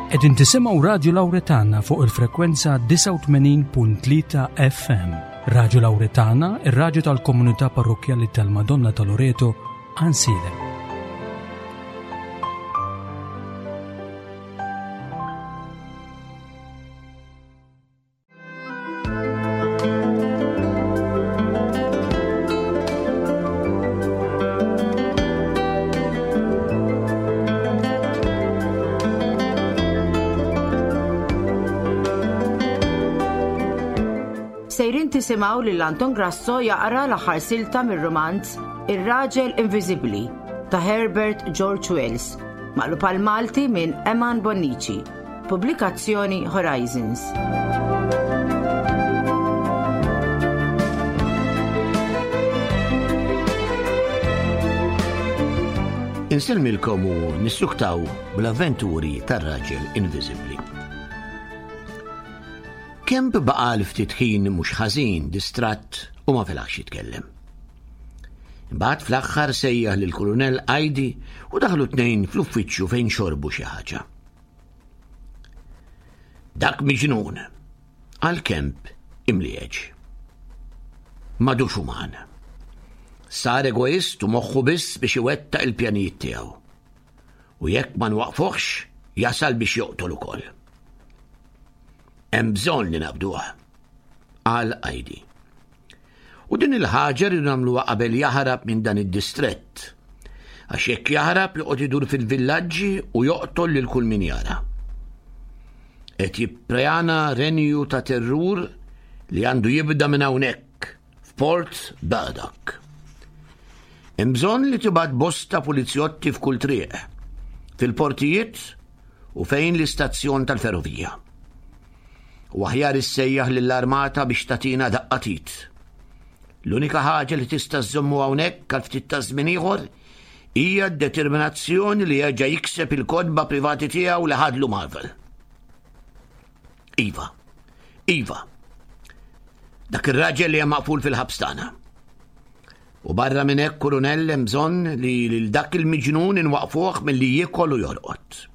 Qegħdin tisimgħu Radju Lawretana fuq il-frekwenza 89.3 FM. Radju Lawretana, ir-radju tal-komunità parrokkjali tal-Madonna ta' Loreto, Ansilem. Sejrin tisimgħu lil Anton Grasso jaqra l-aħħar silta mir-rumanz Ir-Raġel Inviżibbli ta' Herbert George Wells, maqlub għal Malti minn Eman Bonnici. Pubblikazzjoni Horizons. Insellmilkom u nissuktaw bl-avventuri tar-raġel inviżibbli. Kemp baqa' l ftit ħin mhux ħażin distratt u ma felaħx jitkellem. Imbagħad fl-aħħar sejjaħ lill-Kulunell Ajdi u daħlu tnejn fl-uffiċċju fejn xorbu xi ħaġa. Dak miġnun, għal Kemp imlieġ. Madux uman. Sar egoist u moħħu biss biex iwettaq il-pjanijiet tiegħu. U jekk ma nwaqfuhx, jasal biex joqtol ukoll. Hemm bżonn li naqbduh, qal Ajdi. U din il-ħaġa rridu nagħmluha qabel jaħrab minn dan id-distrett. Għax jekk jaħrab joqgħod idur fil-villaġġi u joqtol lil kull min jara. Qed jipprejana renju ta' terrur li għandu jibda minn hawnhekk f'Port Burdock. Hemm bżonn li tibgħat bosta pulizjotti f'kull triq, fil-portijiet u fejn l-istazzjon tal-ferrovija. U aħjar issejjaħ lill-armata biex tagħtina daqqa t'id. L-unika ħaġa li tista' żżommu hawnhekk għal ftit ta' żmien ieħor hija d-determinazzjoni li jerġa' jikseb il-kotba privati tiegħu li ħadlu Marvel. Iva, iva. Dak ir-raġel li hemm maqful fil-ħabs tagħna. U barra minn hekk kurunell hemm bżonn li lil dak il-miġnun inwaqfuh milli jiekol u jorqod.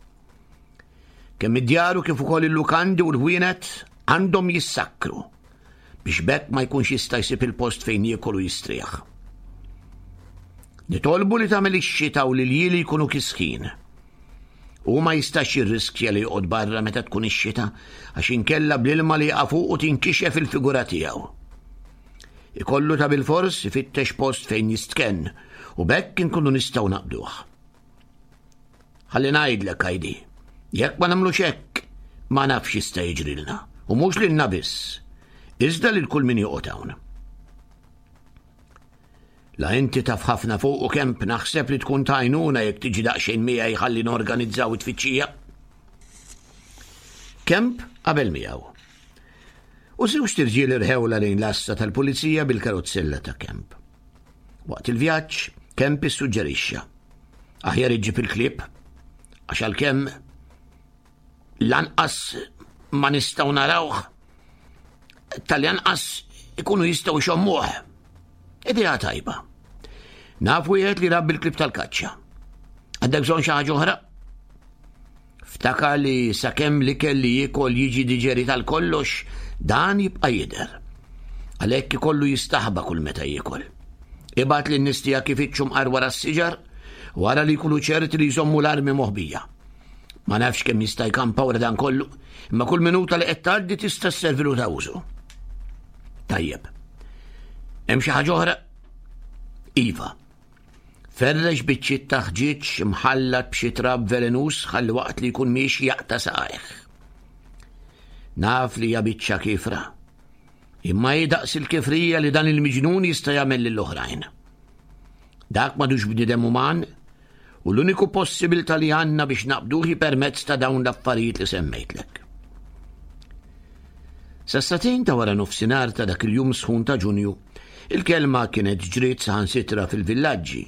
Kemm id-djar u kif ukoll il-lukandi u l-ħwienet għandhom jissakkru biex b'hekk ma jkunx jista' jsib il-post fejn jiekol u jistrieħ. Nitolbu li tagħmel ix-xita u l-iljieli jkunu kisħin. U ma jistax jirriskja li joqgħod barra meta tkun ix-xita għax inkella bl-ilma li jaqa' fuqu tinkixef il-figura tiegħu. Ikollu ta' bilfors ifittex post fejn jistkenn u b'hekk inkunu nistgħu naqbduh. Ħalli ngħidlek, Heidi, jekk ma nagħmlux hekk, ma nafx jista' jiġrilna. U mhux lilna biss, iżda lil kull min joqgħod hawn. La inti taf ħafna fuq u kemp naħseb li tkun tajnuna jekk tiġi daqsxejn miegħi ħalli norganizzaw it-tfittxija. Kemp qabel miegħu. U żewġ tirġiel irħewla lejn l-assa tal-pulizija bil-karozzella ta' Kemp. Waqt il-vjaġġ, Kemp issuġġerixxa. Aħjar iġġib il-klieb, għax għalkemm lanqas ma nistgħu narawh, tal-anqas ikunu jistgħu jxommuh. Idea tajba. Naf wieħed li rabbi l-klieb tal-kaċċa. Għandek bżonn xi ħaġa oħra? Ftakar li sakemm l-ikel li jiekol jiġi diġerit għal kollox, dan jibqa' jidher. Għalhekk ikollu jistaħba kull meta jiekol. Ibgħat lin-nies tiegħek ifittxu mqar wara s-siġar, wara li jkunu ċerti li jżommu l-armi moħbija. Ma nafx kemm jista' jkampa wara dan kollu, imma kull minuta li qed tgħaddi tista' sservilu ta' użu. Tajjeb. Hemm xi ħaġa oħra? Iva. Ferrex biċċiet ta' ħġieġ imħallat b'xi trab velenuż ħalli waqt li jkun miexi jaqta' saqajh. Naf li hija biċċa kifra. Imma hi daqs il-kifrija li dan il-miġnun jista' jagħmel lill-oħrajn. Dak m'għadux bniedem uman u l-uniku possibilità li għandna biex naqbduh hi permezz ta' dawn l-affarijiet li semmejtlek. Sas-sagħtejn ta' wara nofsinhar ta' dak il-jum sħun ta' Ġunju, il-kelma kienet ġriet saħansitra fil-villaġġi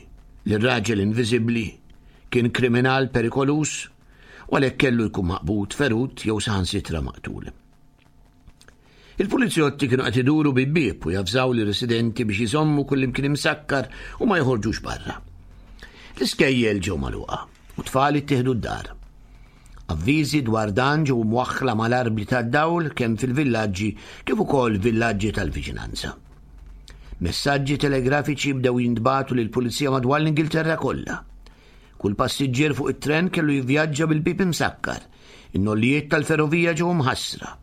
li r-raġel inviżibbli kien kriminal perikoluż u għalhekk kellu jkun maqbud, ferut jew saħansitra maqtul. Il-pulizjotti kienu qed iduru bieb bieb u javżaw lir-residenti biex iżommu kullimkien imsakkar u ma joħorġux barra. L-iskejjel ġew magħluqa u tfal ittieħdu d-dar. Avviżi dwar dan ġew mwaħħla mal-arbli tad-dawl kemm fil-villaġġi kif ukoll villaġġi tal-viċinanza. Messaġġi telegrafiċi bdew jintbagħtu lill-pulizija madwar l-Ingilterra kollha. Kull passiġġier fuq it-tren kellu jivvjaġġa bil-bieb imsakkar. In-nollijiet tal-ferrovija ġew mħassra.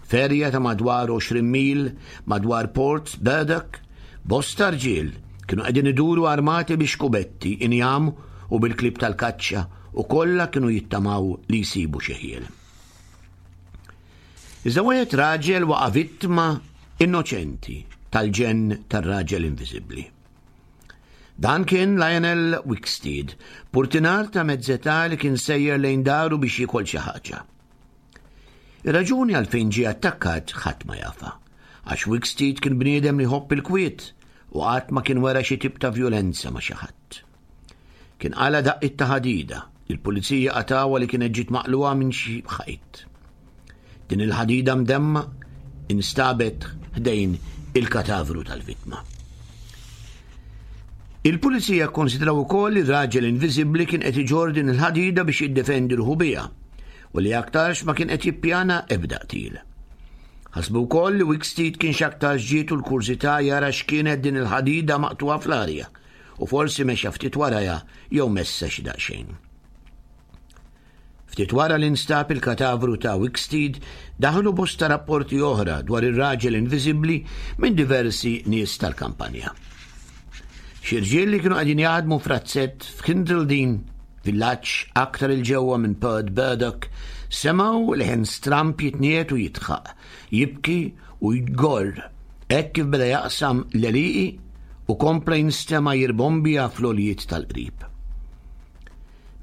Ferja ta' madwar 20 mil madwar Port Burdock, bosta rġiel kienu qegħdin iduru armati bi xkubetti, injam u bil-klieb tal-kaċċa u kollha kienu jittamaw li jsibu xi ħiel. Iżda wieħed raġel waqa' vittma innoċenti tal-ġenn tar-raġel inviżibbli. Dan kien Lionel Wicksteed, purtinar ta' mezz'età li kien sejjer lejn daru biex jiekol xi ħaġa. Ir-raġuni għalfejn ġie attakkat ħadd ma jafha, għax Wicksteed kien bniedem li jħobb il-kwiet u qatt ma kien wera xi tip ta' vjolenza ma' xi ħadd. Kien qala daqqiet ta' ħadida li l-pulizija qatgħuha li kienet ġiet maqlugħa minn xi ħajt. Din il-ħadida mdemma instabet ħdejn il-katavru tal-vittma. Il-pulizija kkonsidraw ukoll li r-raġel inviżibbli kien qed iġorr din il-ħadida biex jiddefendi ruħu biha u li aktarx ma kien qed jippjana ebda qtil. Ħasbu wkoll li Wicksteed kien x'aktarx ġietu l-kurżità jara x'kienet din il-ħadida maqtugħa fl-arja u forsi mexa ftit warajha jew messha xi daqsxejn. Ftit wara li nstab il-katavru ta' Wicksteed, daħlu bosta rapporti oħra dwar ir-raġel inviżibbli minn diversi nies tal-kampanja. Xi rġiel li kienu qegħdin jaħdmu f'razzett f'Kindledine, villaġġ aktar 'il ġewwa minn Port Burdock, semgħu leħen stramb jitniegħed u jidħaq, jibki u jgorr hekk kif beda jaqsam l-għelieqi u kompla jinstema' jirbombja fl-għoljiet tal-qrib.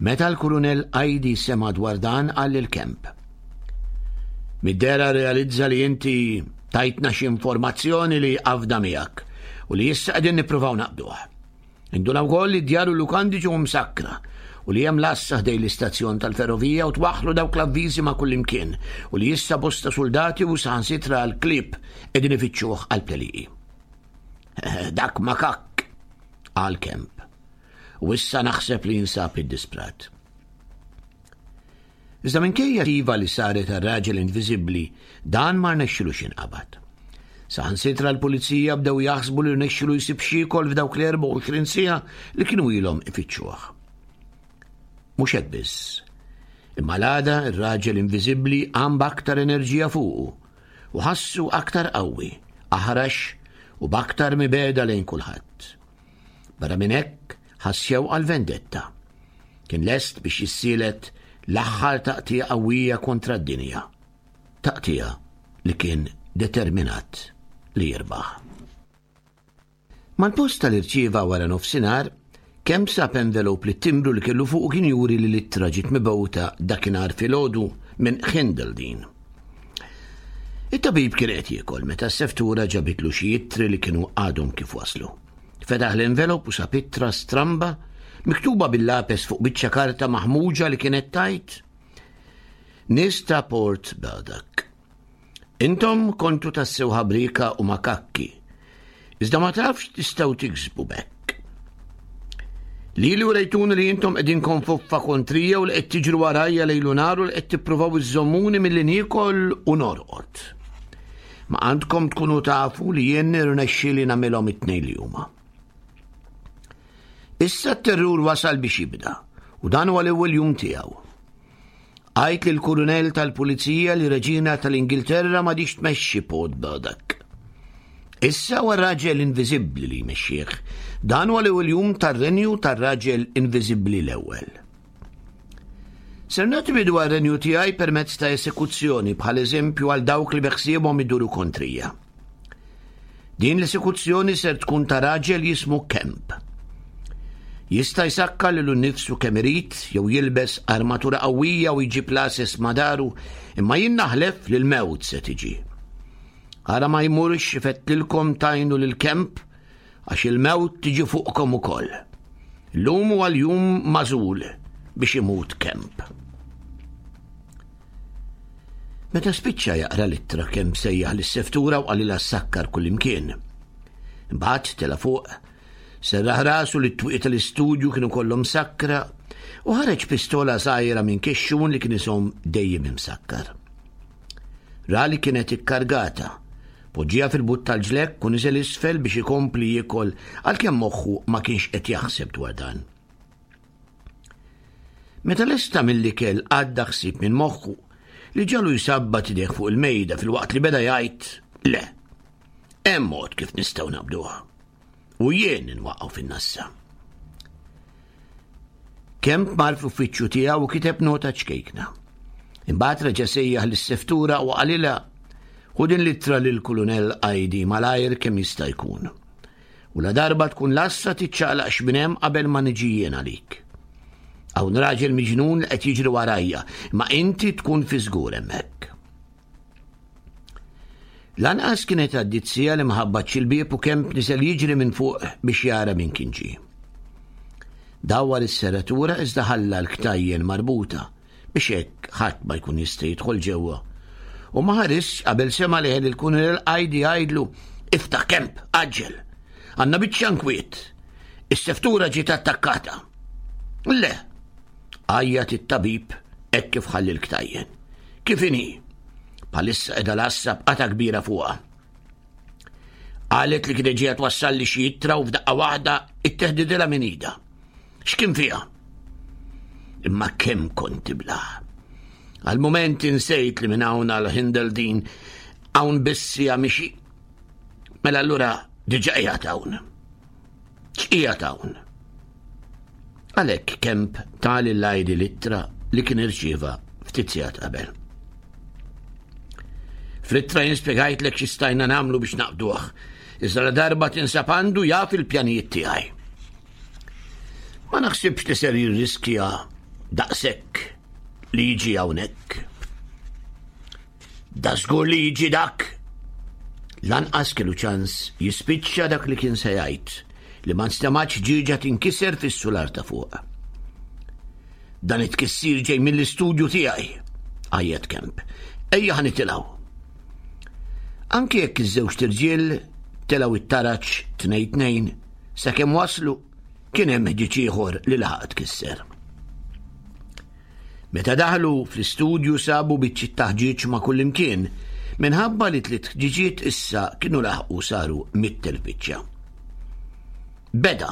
Meta l-Kurunell Aidi sema' dwar dan qal lil Kemp. Mid-dehra rrealizza li inti tajtna xi informazzjoni li qafda miegħek u li issa qegħdin nippruvaw naqbduh. Induna wkoll li d-djar u l-lukandi ġew msakkra u li hemm lassa ħdej l-istazzjon tal-ferrovija u twaħħlu dawk l-avviżi ma' kullimkien u li issa bosta suldati u saħansitra l-klieb qegħdin ifittxuh għal-pleliqi. Dak makakk, qal Kemp. U issa naħseb li jinsab iddisprat. Iżda minkejja iva li saret għar-raġel inviżibbli, dan ma rnexxilux jinqabad. Saħansitra l-pulizija bdew jaħsbu li rnexxilu jsib x'jiekol f'dawk l-24 siegħa li kienu ilhom ifittxuh. Mhux hekk biss. Imma l-għada r-raġel inviżibbli qam b'aktar enerġija fuqu u ħassu aktar qawwi, aħrax u b'aktar mibegħda lejn kulħadd. Barra minn hekk, ħass xewqa għal vendetta. Kien lest biex jissielet l-aħħar taqtigħa qawwija kontra d-dinja. Taqtigħa li kien determinat li jirbaħ. Mal-posta li rċieva wara nofsinhar, kemm sab envelope li t-timbru li kellu fuqu kien juri li l-ittra ġiet mibgħuta dakinhar filgħodu minn Hindledine. It-tabib kien qed jiekol meta s-seftura ġabitlu xi ittri li kienu għadhom kif waslu. Fetaħ l-envelop u sab ittra stramba miktuba bil-lapes fuq biċċa karta maħmuġa li kienet tajt Nies ta' Port Burdock. Intom kontu tassew ħabrika u makakki, iżda ma tafx tistgħu tiksbu b'hekk. Lili urejtuni li intom qegħdin konfoffa kontrija u li qed tiġru warajja lejl u nhar u li qed tippruvaw iżżommuni milli niekol u norqod. Ma għandkom tkunu tafu li jien nirnexxieli nagħmilhom it-tnejn li huma. Issa t-terrur wasal biex jibda u dan huwa l-ewwel jum tiegħu. Għid lill-Kurunell tal-Pulizija li Reġina tal-Ingilterra m'għadhiex tmexxi Port Burdock. Issa huwa raġel inviżibbli li jmexxih. Dan huwa l-ewwel jum tar-renju tar-raġel inviżibbli l-ewwel. Ser nagħti bidu għar-renju tiegħi permezz ta' esekuzzjoni bħal eżempju għal dawk li beħsiebhom iduru kontrija. Din l-esekuzzjoni ser tkun ta' raġel jismu Kemp. Jista' jsakkar lilu nnifsu kemm irid jew jilbes armatura qawwija u jġib l-għases ma' daru, imma jien naħlef li l-mewt se tiġi. Ara ma jmurx ifettilkom tajnu lil Kemp għax il-mewt tiġi fuqkom ukoll. Illum huwa l-jum magħżul biex imut Kemp. Meta spiċċa jaqra l-ittra kemm sejjaħ lis-seftura u qalilha ssakkar kullimkien. Imbagħad tela' fuq, serraħ rasu li t-twieqi tal-istudju kienu kollhom sakkra, U ħareġ pistola żgħira minn kixxun li kien iżomm dejjem imsakkar. Ra li kienet ikkargata. Poġġiha fil-but tal-ġlekk u niżel isfel biex ikompli jiekol għalkemm moħħu ma kienx qed jaħseb dwar dan. Meta lesta mill-ikel għadda ħsieb minn moħħu li ġalu jsabbat idejh fuq il-mejda filwaqt li beda jgħid le. Hemm mod kif nistgħu naqbduha. U jien inwaqqgħu fin-nassa. Kemp mar fl-uffiċċju tiegħu u kiteb nota ċkejkna. Imbagħad reġa' sejjaħ lis-seftura u qalilha ħu din l-ittra lill-Kulunell Ajdi malajr kemm jista' jkun. U la darba tkun lassa tiċċaqlaqx minn hemm qabel ma niġi jien għalik. Hawn raġel miġnun li qed jiġri warajja, ma inti tkun fi żgur hemmhekk. Lanqas kienet għaddiet siegħa li ma ħabbatx il-bieb u Kemp niżel jiġri minn fuq biex jara min kien ġie. Dawwar is-serratura iżda ħalla l-ktajjen marbuta biex hekk ħadd ma jkun jista' jidħol ġewwa. U ma ħarisx qabel sema' leħen il-Kunilel Qajdi jgħidlu iftaħ Kemp, għaġġel. Għandna biċċa nkwiet. Is-seftura ġiet attakkata. Le, Għajjat it-tabib hekk kif ħalli l-ktajjen. Kif inhi? Bħalissa qiegħda l-għassa b'qata kbira fuqha. Qalet li kienet ġejja twassalli xi ittra u f'daqqa waħda itteħdidilha minn idha. X'kien fiha? Imma kemm kont iblah. Għal-moment insejt li minn hawn għal Hindeldin hawn biss hija mixi. Mela allura diġà qiegħed hawn. X'qiegħed hawn? Għalhekk Kemp ta lil Heidi l-ittra li kien irċieva ftit sigħat qabel. Fl-ittra jien spjegajtlek xi stajna nagħmlu biex naqbduh. Iżda la darba tinsab għandu jaf il-pjanijiet tiegħi. Ma naħsibx li ser jirriskja daqshekk li jiġi hawnhekk. Da żgur li jiġi dak! Lanqas kellu ċans jispiċċa dak li kien se jgħid li ma nstemgħatx ġieġa tinkiser fis-sular ta' fuq. Dan it-tkissir ġej mill-istudju tiegħi, għajjat Kemp. Ejja ħa nitilgħu. Anki jekk iż-żewġt irġiel telgħu it-taraġ tnejn tnejn sakemm waslu kien hemm ħġieġ ieħor li laħaq tkisser. Meta daħlu fl-istudju sabu biċċiet ta' ħġieġ ma' kullimkien, minħabba li tliet ħġiġiet issa kienu laħqu saru mittel biċċa. Beda!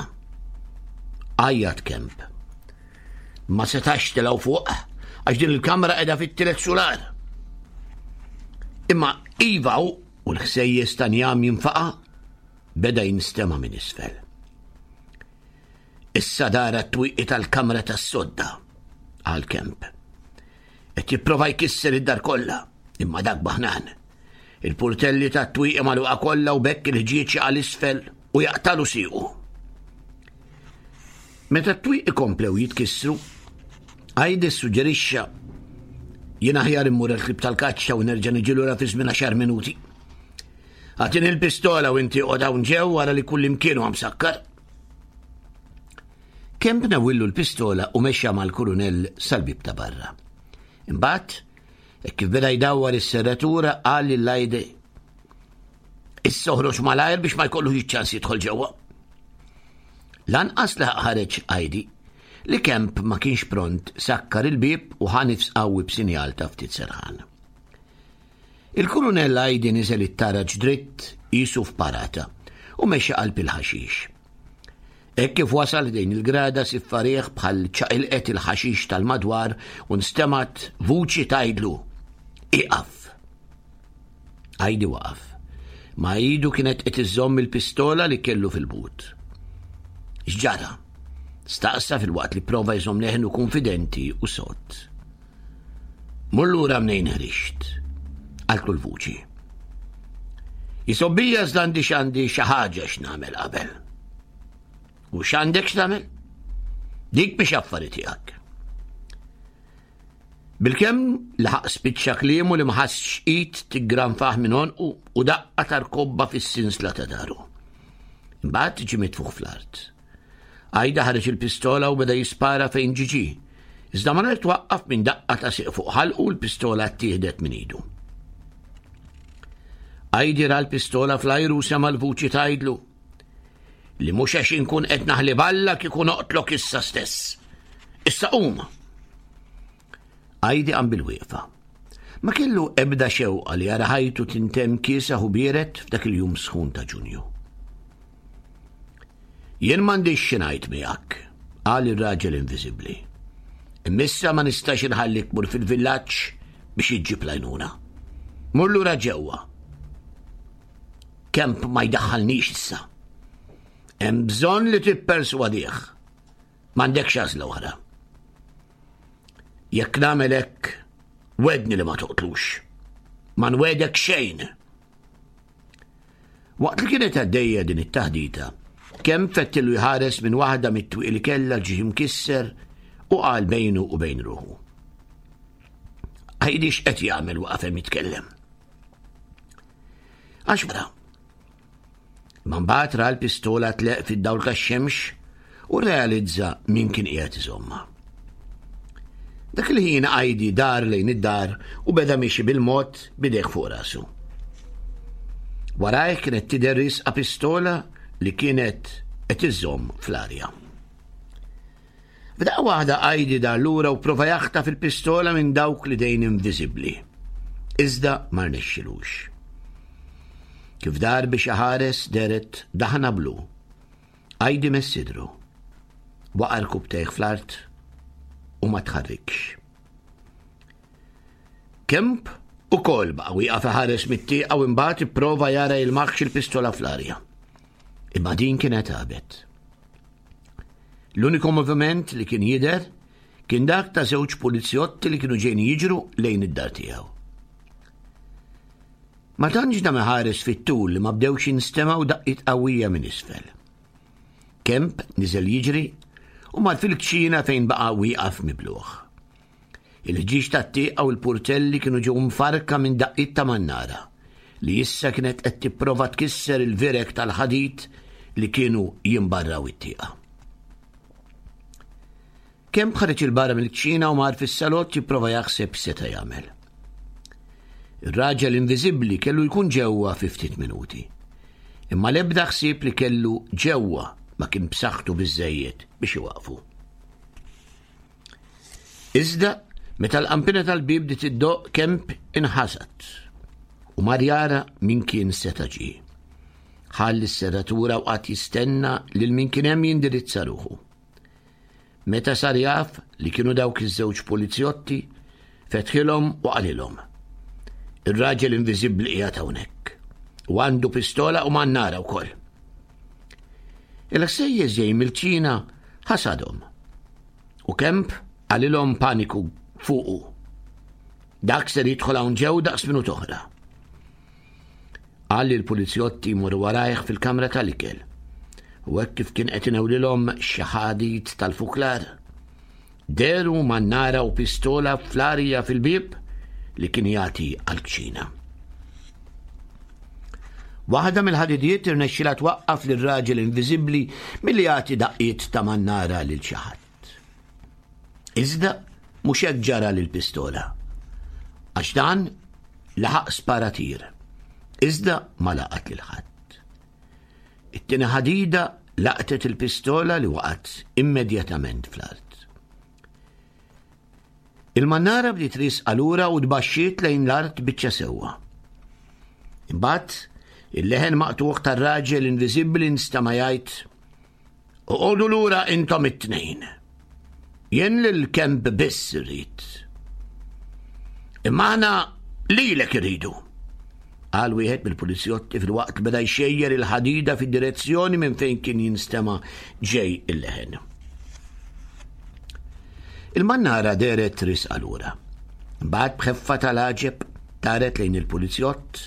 Għajjat Kemp. Ma setax telgħu fuq għax din il-kamra qiegħda fit-tielet sular. Imma iva u l-ħsejjes ta' njam jinfaqa' beda jinstema' minn isfel. Issa dara t-twieqi tal-kamra tas-sodda, qal Kemp. Qed jipprova jkisser id-dar kollha, imma dak baħnan. Il-purtelli tat-twieqi magħluqa kollha u bekk il-ħġieġ għal isfel u jaqtalu siequ. Meta t-twieqi komplew jitkissru, Għajdi suġġerixxa jien aħjar immur il-klib tal-kaċċa u nerġa' niġi lura fi żmien għaxar minuti. Għatini l-pistola u inti qod hawn ġew wara li kullimkien huwa msakkar. Kemp nawillu l-pistola u mexa mal-kurunell sal-bib ta' barra. Imbagħad, hekk kif beda jdawwar is-serratura qal lil Lajde Issa oħroġ malajr biex ma jkollux iċ-ċans jidħol ġewwa. Lanqas laħaq ħareġ Heidi li Kemp ma kienx pront sakkar il-bieb u ħa nifs qawwi b'sinjal ta' ftit serħan. Il-Kurunell Heidi niżel it-taraġ dritt qisu f'parata u mexa qalb il-ħaxix. Hekk kif wasal ħdejn il-grada siffa riħ bħal ċaqilqet il-ħaxix tal-madwar u nstemgħet vuċi tgħidlu, Ieqaf! Heidi waqaf. Ma' idu kienet qed iżżomm il-pistola li kellu fil-but. X'ġara? Staqsa filwaqt li prova jżomm leħnu kunfidenti u sod. Mur lura mnejn ħriġt, qaltlu l-vuċi. Jisobbija iżda għandi x'għandi xi ħaġa x'nagħmel qabel. U x'għandek x'tagħmel? Dik biex affari tiegħek. Bilkemm laħaq spiċċa kliemu li ma ħassx id tiggranfah minn għonqu u daqqa tar-kobba fis-sinsla ta' daru. Imbagħad ġie mitfuħ fl-art. Għajda ħareġ il-pistola u beda jispara fejn ġiġi. Iżda malajr twaqqaf minn daqqa ta' sieq fuq ħalqu u l-pistola ttieħdet minn idu. Għajdi ra l-pistola fl-ajru u sema l-vuċi tgħidlu li mhux għax inkun qed naħli balla kieku noqtlok issa stess. Issa qum! Għajdi qam bil-wieqfa. Ma kellu ebda xewqa li jara ħajtu tintemm kiesaħ u biered f'dak il-jum sħun ta' Ġunju. Jien m'għandix xi ngħid miegħek, qal ir-raġel inviżibbli. Imma issa ma nistax inħallik tmur fil-villaġġ biex iġġib l-għajnuna. Mur lura ġewwa. Kemp ma jdaħħalnix issa. Hemm bżonn li tipperswadih. M'għandekx għażla oħra. Jekk nagħmel hekk, wedni li ma toqtlux. Ma nwedek xejn. Waqt li kienet għaddejja din it-taħdita, kemm fettilu jħares minn waħda mit-twieq li kellha ġie mkisser u qal bejnu u bejn ruħu. Għidix qed jagħmel waqaf hemm jitkellem. Għax mara, Ma mbagħad ra l-pistola tleq fid-dawl tax-xemx u rrealizza min kien qiegħed iżomma. Dak il-ħin għajdi dar lejn id-dar u beda miexi bil-mod bidejh fuq rasu. Warajh kienet tidher risqa pistola li kienet qed iżomm fl-arja. F'daqqa waħda Heidi dar lura u prova jaħtaf il-pistola minn dawk l-idejn inviżibbli. Iżda ma rnexxilux. Kif dar biex iħares dehret daħna blu. Heidi mess sidru. Waqa' rkubtejh fl-art u ma tħarrikx. Kemp ukoll baqa' wieqaf iħares mit-tieqa u imbagħad ipprova jara jilmaħx il-pistola fl-arja. Imma din kienet għabet. L-uniku moviment li kien jidher kien dak ta' żewġ pulizjotti li kienu ġejn jiġru lejn id-dar tiegħu. Ma tantx dam iħares fit-tul li ma bdewx jinstemgħu daqqiet qawwija minn isfel. Kemp niżel jiġri u mar fil-kċina fejn baqa' wieqaf mibluħ. Il-ħġieġ tat-tieqa u l-purtelli kienu ġew mfarrka minn daqqiet ta' mannara li issa kienet qed tipprova tkisser il-vireg tal-ħadid li kienu jimbarraw it-tieqa. Kemp ħareġ 'il barra mill-kċina u mar fis-salott jipprova jaħseb x'seta' jagħmel. Ir-raġel inviżibbli kellu jkun ġewwa fi ftit minuti. Imma l-ebda ħsieb li kellu ġewwa ma kien b'saħħtu biżżejjed biex iwaqfu. Iżda, meta l-qampina tal-bieb bdiet iddoqq Kemp inħasad u mar jara min kien seta' ġie. Ħall is-serratura u qagħad jistenna lil min kien hemm jindirizza ruħu. Meta sar jaf li kienu dawk iż-żewġ pulizjotti, fetħilhom u qalilhom. Ir-raġel inviżibbli qiegħed hawnhekk. U għandu pistola u mannara wkoll. Il-ħsejjes ġej mill-ċina ħasadhom. U Kemp qalilhom paniku fuqu. Dak ser jidħol hawn ġew daqs minut oħra. Qal li l-pulizjotti jmorru warajh fil-kamra tal-ikel. U hekk kif kien qed inewlilhom xi ħadid tal-fuklar. Deru mannara u pistola fl-arja fil-bieb li kien jagħti għall-kċina. Waħda mill-ħadidiet irnexxilha twaqqaf lir-raġel inviżibbli milli jagħti daqqiet ta' mannara lil xi ħadd. Iżda mhux hekk ġara lill-pistola. Għax dan laħaq spara tir. Iżda ma laqat lil ħadd. It-tieni ħadida laqtet il-pistola li waqgħet immedjatament fl-art. Il-mannara bdiet riesqa lura u tbaxxiet lejn l-art biċċa sewwa. Imbagħad, il-leħen maqtugħ tar-raġel inviżibbli nstama' jgħid, Oqogħdu lura intom it-tnejn. Jien lil Kemp biss irrid. Imma aħna lilek irridu. Qal wieħed mill-pulizjotti filwaqt li beda jxejjer il-ħadida fid-direzzjoni minn fejn kien jinstema' ġej il-leħen. Il-mannara dehret risqa lura. Imbagħad b'ħeffa tal-għaġeb taret lejn il-pulizjott,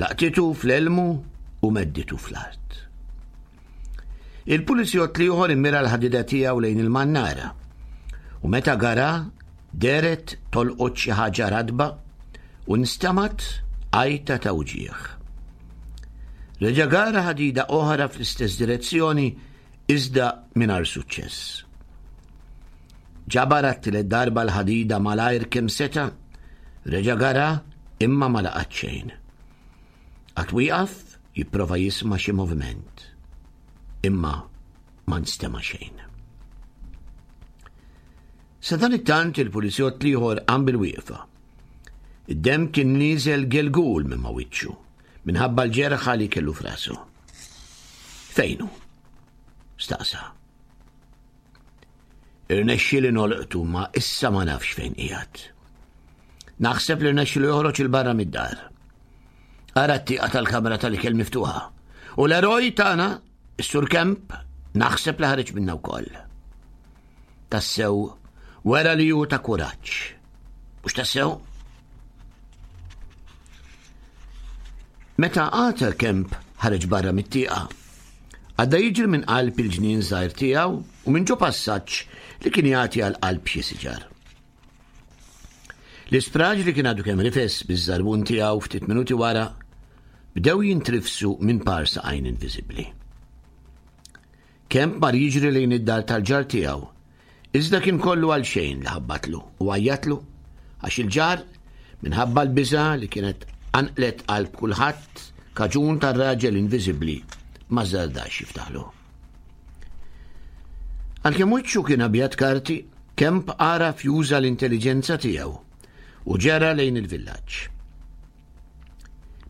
laqtitu fl-elmu u medditu fl-art. Il-pulizjott l-ieħor immira l-ħadida tiegħu lejn il-mannara u meta gara dehret tolqot xi ħaġa ratba u nstamat għajta ta' wġigħ. Reġa' gara ħadida oħra fl-istess direzzjoni iżda mingħajr suċċess. Ġabar għat-tielet darba l-ħadida malajr kemm seta', reġa' gara imma ma laqat xejn. Qatt wieqaf jipprova jisma' xi moviment, imma ma nstema' xejn. Sadanittant il-pulizjott l-ieħor qam bil-wieqfa. Id-demm kien nieżel gelgul minn ma' wiċċu minħabba l-ġerħa li kellu f'rasu. Fejnu? Staqsa. Irnexxieli nolqtu ma issa ma nafx fejn qiegħed. Naħseb li rnexxielu joħroġ il barra mid-dar. Ara t-tieqa tal-kamra tal-ikel miftuħa. U l-eroj tagħna, is-Sur Kemp, naħseb li ħareġ minna wkoll. Tassew, wera li hu ta' kuraġġ. Mhux tassew? Meta Arthur Kemp ħareġ barra mit-tieqa, għadda jiġri minn qalb il-ġnien żgħir tiegħu u minn ġo passaġġ li kien jagħti għal qalb xi siġar. L-ispraġ li kien għadu kemm rifes biż-żarbun tiegħu ftit minuti wara bdew jintrifsu minn par saqajn inviżibbli. Kemp mar jiġri lejn id-dar tal-ġar tiegħu Iżda kien kollu għal xejn li ħabbatlu u għajjatlu għax il-ġar, minħabba l-biża' li kienet qanqlet qalb kulħadd kaġun tar-raġel inviżibbli, ma żardax jiftaħlu. Għalkemm wiċċu kien abjad karti, Kemp għaraf juża l-intelliġenza tiegħu u ġera lejn il-villaġġ.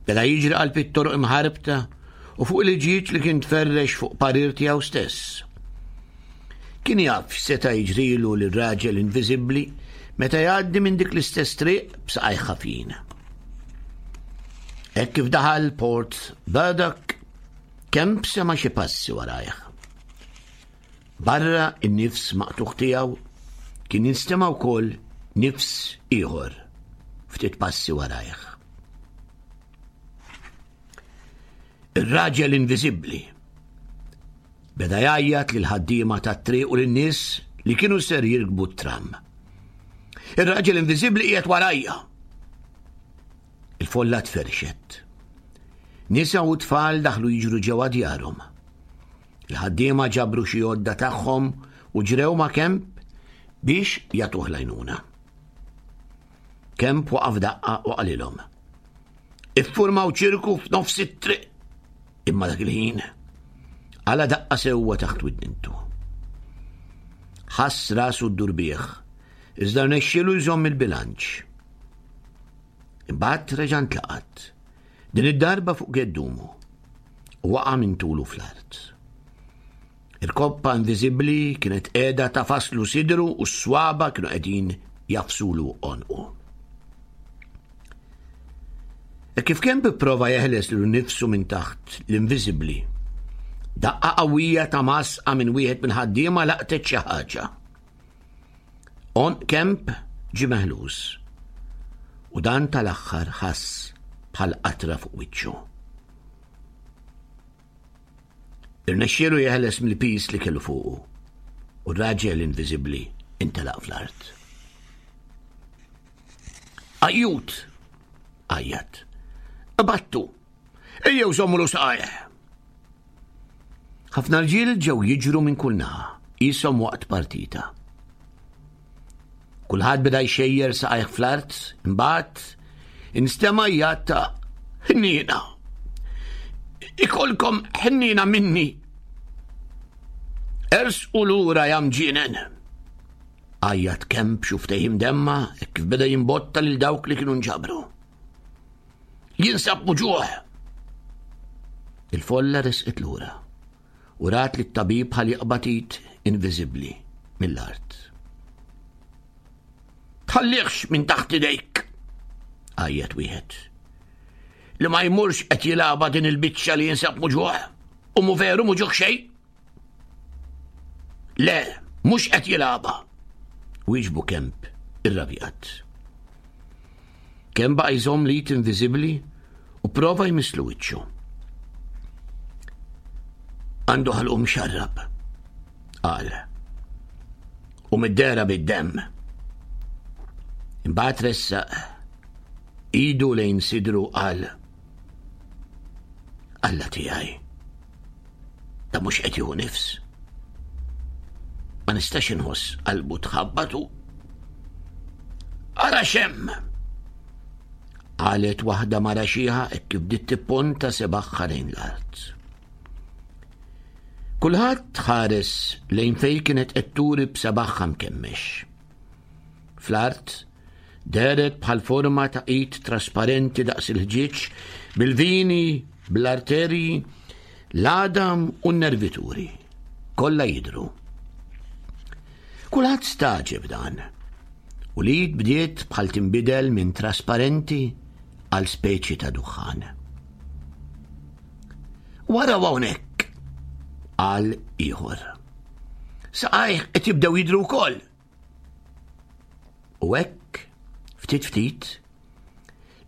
Beda jiġri qalb it-toroq imħarbta u fuq il-ġieġ li kien tferrex fuq parir tiegħu stess. Kien jaf x'seta' jiġrilu lir-raġel inviżibbli meta jgħaddi minn dik l-istess triq b'saqajh ħafjin. Hekk kif daħal Port Burdock, Kemp sema' xi passi warajh. Barra n-nifs maqtugħ tiegħu kien jinstema' wkoll nifs ieħor ftit passi warajh. Ir-raġel inviżibbli beda jgħajjat lil ħaddiema tat-triq u lin-nies li kienu ser jirkbu t-tram. Ir-raġel inviżibbli qiegħed warajja. Il-folla tferxet. Nisa u tfal daħlu jiġru ġewwa djarhom. Il-ħaddiema ġabru xi għodda tagħhom u ġrew ma' Kemp biex jagħtuh l-għajnuna. Kemp waqaf daqqa u qalilhom. Iffurmaw ċirku f'nofs it-triq. Imma dak il-ħin għala daqqa sewwa taħt widnintu. Ħass rasu d-durbieħ, iżda rnexxielu jżomm il-bilanċ. Imbagħad reġa' ntlaqat, din id-darba fuq geddumu, u waqa' minn tulu fl-art. Il-koppa inviżibbli kienet qiegħda tafaslu sidru u s-swaba kienu qegħdin jafsulu għonqu. E kif kemm prova jeħles lilu nifsu minn taħt l-inviżibbli, daqqa qawwija ta' masqa minn wieħed minn ħaddiema laqtet xi ħaġa. Għonq Kemp ġie meħlus u dan tal-aħħar ħass bħal qatra fuq wiċċu. Irnexxielu jeħles mill-pis li kellu fuqu u r-raġel inviżibbli intelaq fl-art. Ajjut! Għajjat. Battu! Ejjew żommulu saqajh! Ħafna rġiel ġew jiġru minn kull naħa, qishom waqt partita. Kulħadd beda jxejjer saqajh fl-art, imbagħad instema' jgħad ta' ħniena. Ikolkom ħniena minni. Ersqu lura ja mġienen. Għajjat kemm b'xuftejh imdemma hekk kif beda jimbotta lil dawk li kienu nġabru. Jinsab muġuħ! Il-folla resqet lura u rat li t-tabib bħal jaqbad id inviżibbli mill-art. Tħallihx minn taħt idejk! Għajjat wieħed. Li ma jmurx qed jilgħabha din il-biċċa li jinsab muġuħ u mu veru muġuħ xejn. Le, mhux qed jilgħabha. Wieġbu Kemp irrabjat. Kemp baqa' jżomm l-id inviżibbli u prova jmisslu wiċċu. Għandu ħalqu mxarrab, qal. U mid-dera bid-demm. Imbagħad ressaq idu lejn sidru qal Alla tiegħi. Ta' mhux qed jieħu nifs. Ma nistax inħoss qalbu tħabbatu. Ara xem! Qalet waħda mara xieħa hekk kif bdiet tipponta sebaħħa lejn l-art. Kulħadd ħares lejn fejn kienet qed turi b'sebaħħa mkemmex. fl-art, dehret bħal forma ta' id trasparenti daqs il-ħġieġ, bil-vini, bl-arterji, l-għadam u n-nervituri. Kollha jidhru. Kulħadd stagħġeb dan. U l-id bdiet bħal tinbidel minn trasparenti għal speċi ta' duħħan. Wara hawnhekk, qal ieħor. Saqajh qed jibdew jidhru wkoll. U hekk, ftit ftit,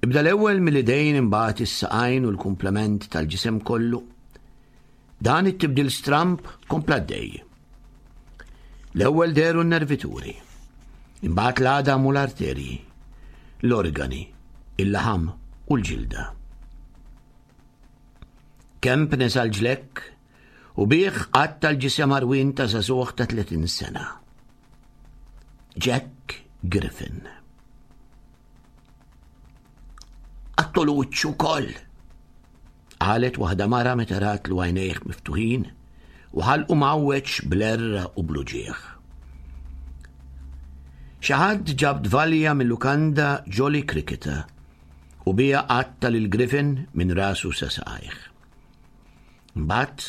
ibda l-ewwel mill-idejn imbagħad is-saqajn u l-kumplament tal-ġisem kollu. Dan it-tibdil stramb kompla għaddej. L-ewwel dehru n-nervituri, imbagħad l-għadam u l-arterji, l-organi, il-laħam u l-ġilda. Kemp neża' l-ġlekk u bih qatta' l-ġisem għarwien ta' żagħżugħ ta' 30 sena. Jack Griffin. Qattulu wiċċu wkoll, qalet waħda mara meta ratlu għajnejh miftuħin u ħalqu mgħawweġ bl-għerra u bl-uġigħ. Xi ħadd ġab tvalja mil-lukanda Jolly Cricketer u biha qatta' lil Griffin minn rasu sa saqajh. Mbagħad,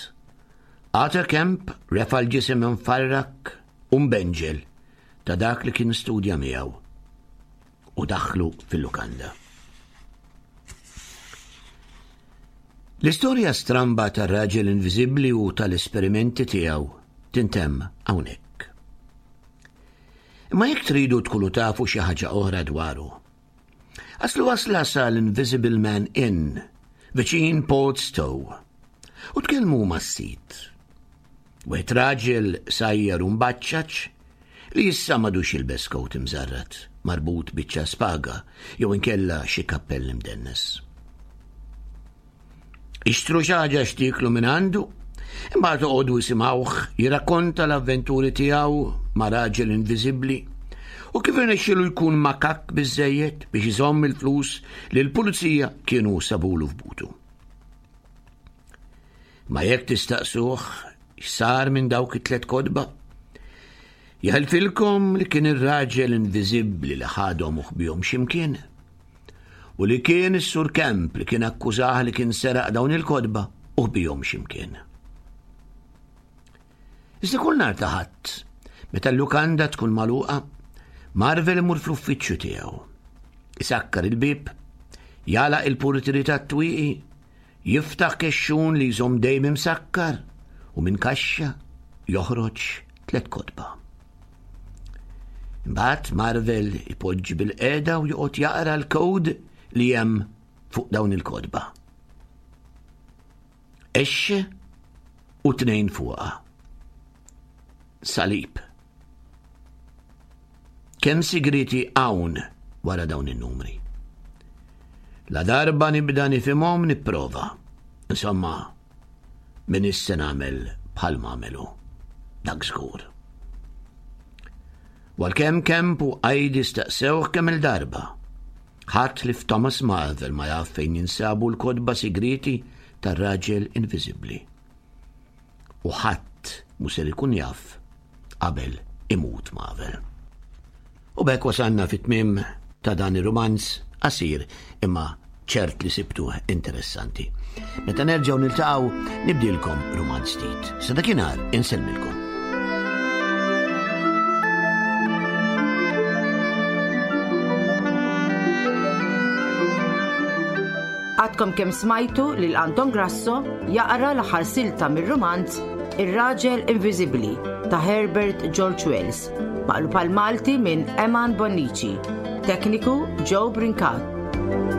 Arthur Kemp refa' l-ġisem imfarrak u mbenġel ta' dak li kien studja miegħu u daħħlu fil-lukanda. L-istorja stramba tar-raġel inviżibbli u tal-esperimenti tiegħu tintemm hawnhekk. Imma jekk tridu tkunu tafu xi ħaġa oħra dwaru, Aslu wasla sa l-Invisible Man Inn, viċin Port Stowe, u tkellmu mas-sid. Wieħed raġel sajjar u mbaċċaċ li issa m'għadux jilbes kowt imżarrat, marbut biċċa spaga jew inkella xi kappell imdennes. Ixtru xi ħaġa x'tieklu minn għandu, imbagħad oqogħdu isimgħuh jirrakkonta l-avventuri tiegħu ma' raġel inviżibbli u kif irnexxielu jkun makakk biżżejjed biex iżomm il-flus li l-pulizija kienu sabulu f'butu. Ma jekk tistaqsuh x'sar minn dawk it-tlet kotba, jaħilfilkom li kien ir-raġel inviżibbli li ħadhom u ħbihom x'imkien. U li kien is-Sur Kemp li kien akkużah li kien seraq dawn il-kotba u ħbihom x'imkien. Iżda kull nhar ta' Ħadd, meta l-lukanda tkun magħluqa, Marvel imur fl-uffiċċju tiegħu. Isakkar il-bieb, jagħlaq il-purtieri tat-twieqi, jiftaħ kexxun li jżomm dejjem imsakkar u minn kaxxa joħroġ tlett kotba. Imbagħad Marvel ipoġġi bil-qeda u joqgħod jaqra l-kod li hemm fuq dawn il-kotba. Exxe u tnejn fuqha. Salib. Kemm sigriti hawn wara dawn in-numri. La darba nibda nifhimhom nipprova. Insomma, M'iniex se nagħmel bħal m'għamelu. Dak żgur. U għalkemm Kemp u Heidi staqsewh kemm-il darba, ħadd li f'Thomas Marvel ma jaf fejn jinsabu l-kotba sigrieti tar-raġel inviżibbli. U ħadd mhu ser ikun jaf qabel imut Marvel. U b'hekk wasalna fit-tmiem ta' dan ir-rumanz qasir imma ċert li sibtuh interessanti. Meta nerġgħu niltaqgħu nibdilkom rumanz ġdid. Sa dakinhar insellmilkom. Għadkom kemm smajtu lil Anton Grasso jaqra l-aħħar silta mir-rumanz Ir-Raġel Inviżibbli ta' Herbert George Wells. Maqlub għall-Malti minn Eman Bonnici. Tekniku Joe Brincat.